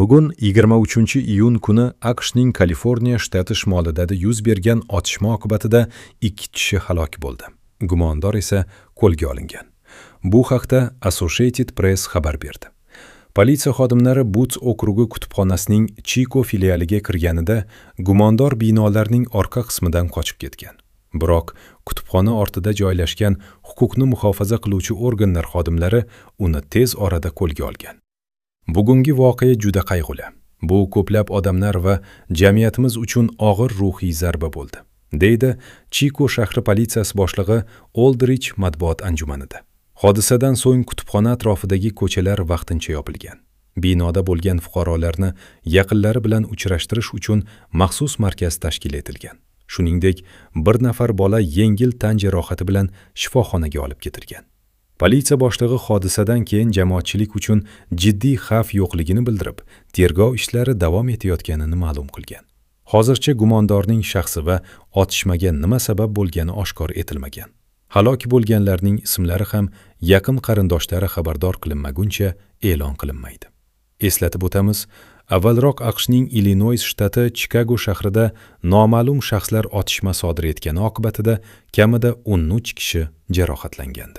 Bugun 23-iyun kuni AQShning Kaliforniya shtati shimolida yuz bergan otishma oqibatida 2 kishi halok bo'ldi. Gumondor esa qo'lga olingan. Bu haqda Associated Press xabar berdi. Politsiya xodimlari Buts okrugi kutubxonasining Chiko filialiga kirganida gumondor binolarning orqa qismidan qochib ketgan. Biroq kutubxona ortida joylashgan huquqni muhofaza qiluvchi organlar xodimlari uni tez orada qo'lga olgan. Bugungi voqea juda qayg'uli. Bu ko'plab odamlar va jamiyatimiz uchun og'ir ruhiy zarba bo'ldi, deydi Chiko shahri politsiyasi boshlig'i Oldrich matbuot anjumanida. Hodisadan so'ng kutubxona atrofidagi ko'chalar vaqtincha yopilgan. Binoda bo'lgan fuqarolarni yaqinlari bilan uchrashtirish uchun maxsus markaz tashkil etilgan. Shuningdek, bir nafar bola yengil tan jarohati bilan shifoxonaga olib ketilgan. Politsiya boshlig'i hodisadan keyin jamoatchilik uchun jiddiy xavf yo'qligini bildirib, tergov ishlari davom etayotganini ma'lum qilgan. Hozircha gumondorning shaxsi va otishmaga nima sabab bo'lgani oshkor etilmagan. Halok bo'lganlarning ismlari ham yaqin qarindoshlari xabardor qilinmaguncha e'lon qilinmaydi. Eslatib o'tamiz, avvalroq AQShning Illinois shtati Chikago shahrida noma'lum shaxslar otishma sodir etgani oqibatida kamida 13 kishi jarohatlangandi.